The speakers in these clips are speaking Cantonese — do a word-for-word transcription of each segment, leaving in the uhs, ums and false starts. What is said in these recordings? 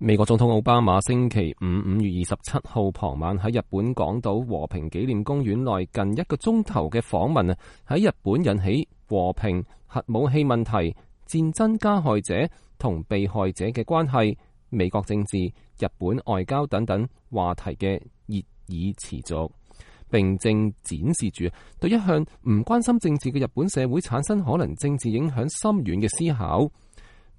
美國總統奧巴馬星期五五月二十七號傍晚喺日本廣島和平紀念公園內近一個鐘頭嘅訪問啊，喺日本引起和平、核武器問題、戰爭加害者同被害者嘅關係、美國政治、日本外交等等話題嘅熱議持續，並正展示住對一向唔關心政治嘅日本社會產生可能政治影響深遠嘅思考。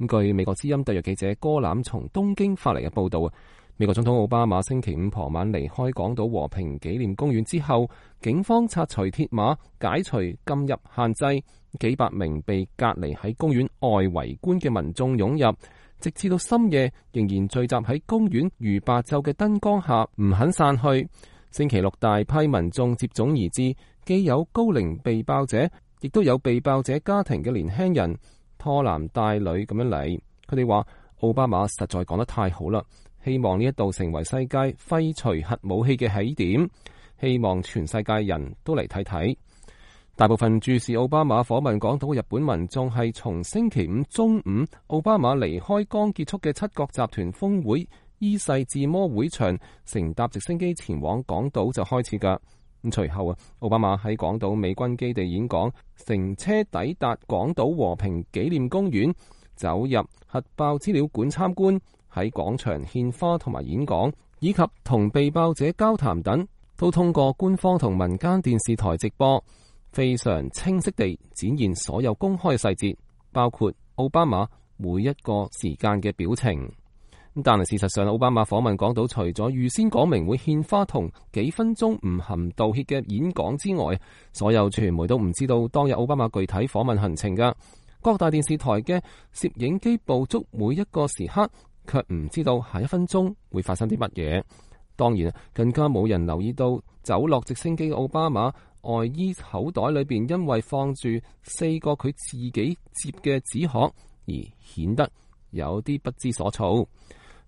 據美國之音特約記者戈攬從東京發嚟嘅報道，美國總統奧巴馬星期五傍晚離開廣島和平紀念公園之後，警方拆除鐵馬，解除禁入限制，幾百名被隔離喺公園外圍觀嘅民眾湧入，直至到深夜仍然聚集喺公園如白晝嘅燈光下，唔肯散去。星期六大批民眾接踵而至，既有高齡被爆者，亦都有被爆者家庭嘅年輕人，拖男帶女咁樣嚟。佢哋話奧巴馬實在講得太好啦，希望呢一度成為世界廢除核武器嘅起點，希望全世界人都嚟睇睇。大部分注視奧巴馬訪問廣島嘅日本民眾係從星期五中午奧巴馬離開剛結束嘅七國集團峰會伊勢志摩會場，乘搭直升機前往廣島就開始㗎。咁隨後啊，奧巴馬喺廣島美軍基地演講，乘車抵達廣島和平紀念公園，走入核爆資料館參觀，喺廣場獻花同埋演講，以及同被爆者交談等，都通過官方同民間電視台直播，非常清晰地展現所有公開細節，包括奧巴馬每一個時間嘅表情。但係事實上，奧巴馬訪問廣島除咗預先講明會獻花同幾分鐘唔含道歉嘅演講之外，所有傳媒都唔知道當日奧巴馬具體訪問行程㗎。各大電視台嘅攝影機捕捉每一個時刻，卻唔知道下一分鐘會發生啲乜嘢。當然，更加冇人留意到走落直升機嘅奧巴馬外衣口袋裏邊，因為放住四個佢自己摺嘅紙殼，而顯得有啲不知所措。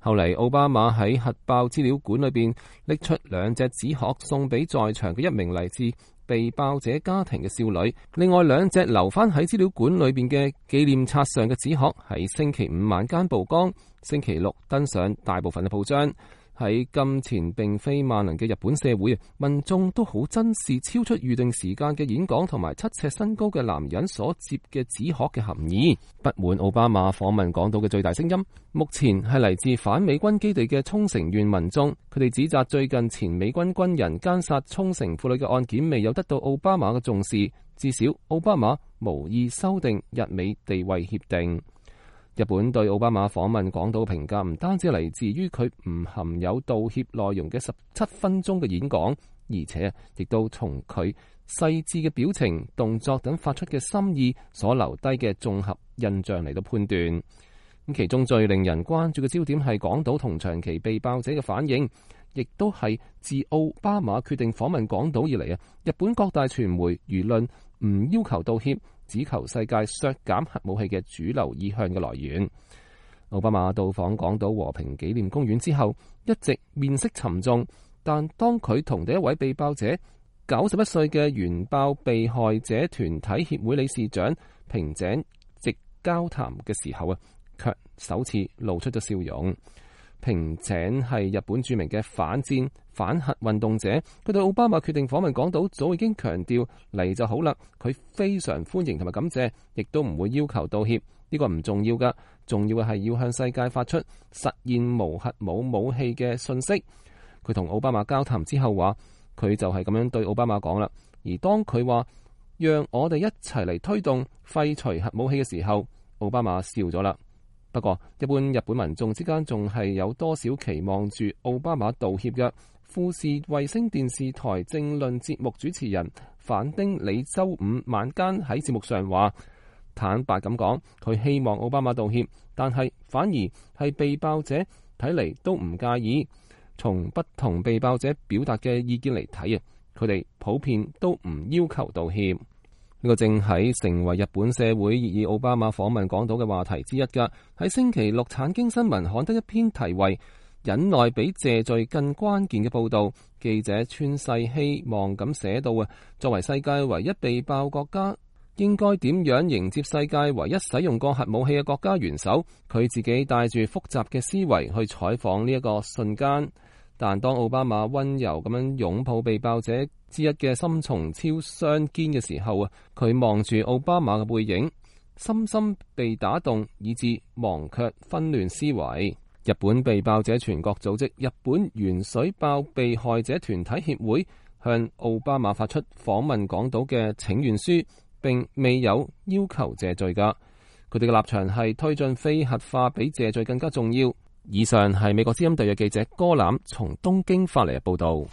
後嚟，奧巴馬喺核爆資料館裏邊拎出兩隻紙殼送俾在場嘅一名嚟自被爆者家庭嘅少女，另外兩隻留翻喺資料館裏邊嘅紀念冊上嘅紙殼喺星期五晚間曝光，星期六登上大部分嘅報章。喺金錢並非萬能嘅日本社會，民眾都好珍視超出預定時間嘅演講同埋七尺身高嘅男人所摺嘅紙殼嘅含義。不滿奧巴馬訪問廣島嘅最大聲音，目前係嚟自反美軍基地嘅沖繩縣民眾，佢哋指責最近前美軍軍人姦殺沖繩婦女嘅案件未有得到奧巴馬嘅重視，至少奧巴馬無意修訂日美地位協定。日本對奧巴馬訪問廣島評價唔單止嚟自於佢唔含有道歉內容嘅十七分鐘嘅演講，而且亦都從佢細緻嘅表情、動作等發出嘅心意所留低嘅綜合印象嚟到判斷。咁其中最令人關注嘅焦點係廣島同長期被爆者嘅反應，亦都係自奧巴馬決定訪問廣島以嚟啊，日本各大傳媒輿論唔要求道歉，只求世界削減核武器嘅主流意向嘅來源。奧巴馬到訪廣島和平紀念公園之後，一直面色沉重，但當佢同第一位被爆者九十一歲嘅原爆被害者團體協會理事長平井直交談嘅時候啊，卻首次露出咗笑容。平井係日本著名嘅反戰反核運動者，佢對奧巴馬決定訪問廣島早已經強調嚟就好啦，佢非常歡迎同埋感謝，亦都唔會要求道歉。呢個唔重要噶，重要嘅係要向世界發出實現無核武武器嘅信息。佢同奧巴馬交談之後話，佢就係咁樣對奧巴馬講啦。而當佢話讓我哋一齊嚟推動廢除核武器嘅時候，奧巴馬笑咗啦。不過，一般日本民眾之間仲係有多少期望住奧巴馬道歉嘅？富士衛星電視台政論節目主持人反町里周五晚間喺節目上話，坦白咁講，佢希望奧巴馬道歉，但係反而係被爆者睇嚟都唔介意。從不同被爆者表達嘅意見嚟睇啊，佢哋普遍都唔要求道歉。呢個正喺成為日本社會熱議奧巴馬訪問廣島嘅話題之一㗎。喺星期六產經新聞刊登一篇題為忍耐比謝罪更關鍵嘅報導，記者川世希望咁寫到啊，作為世界唯一被爆國家，應該點樣迎接世界唯一使用過核武器嘅國家元首。佢自己帶住複雜嘅思維去採訪呢一個瞬間，但當奧巴馬溫柔咁樣擁抱被爆者之一嘅森松超雙肩嘅時候啊，佢望住奧巴馬嘅背影，深深被打動，以致忘卻紛亂思維。日本被爆者全國組織日本原水爆被害者團體協會向奧巴馬發出訪問港島嘅請願書，並未有要求謝罪㗎。佢哋嘅立場係推進非核化比謝罪更加重要。以上係美國之音特約記者哥欖從東京發嚟嘅報道。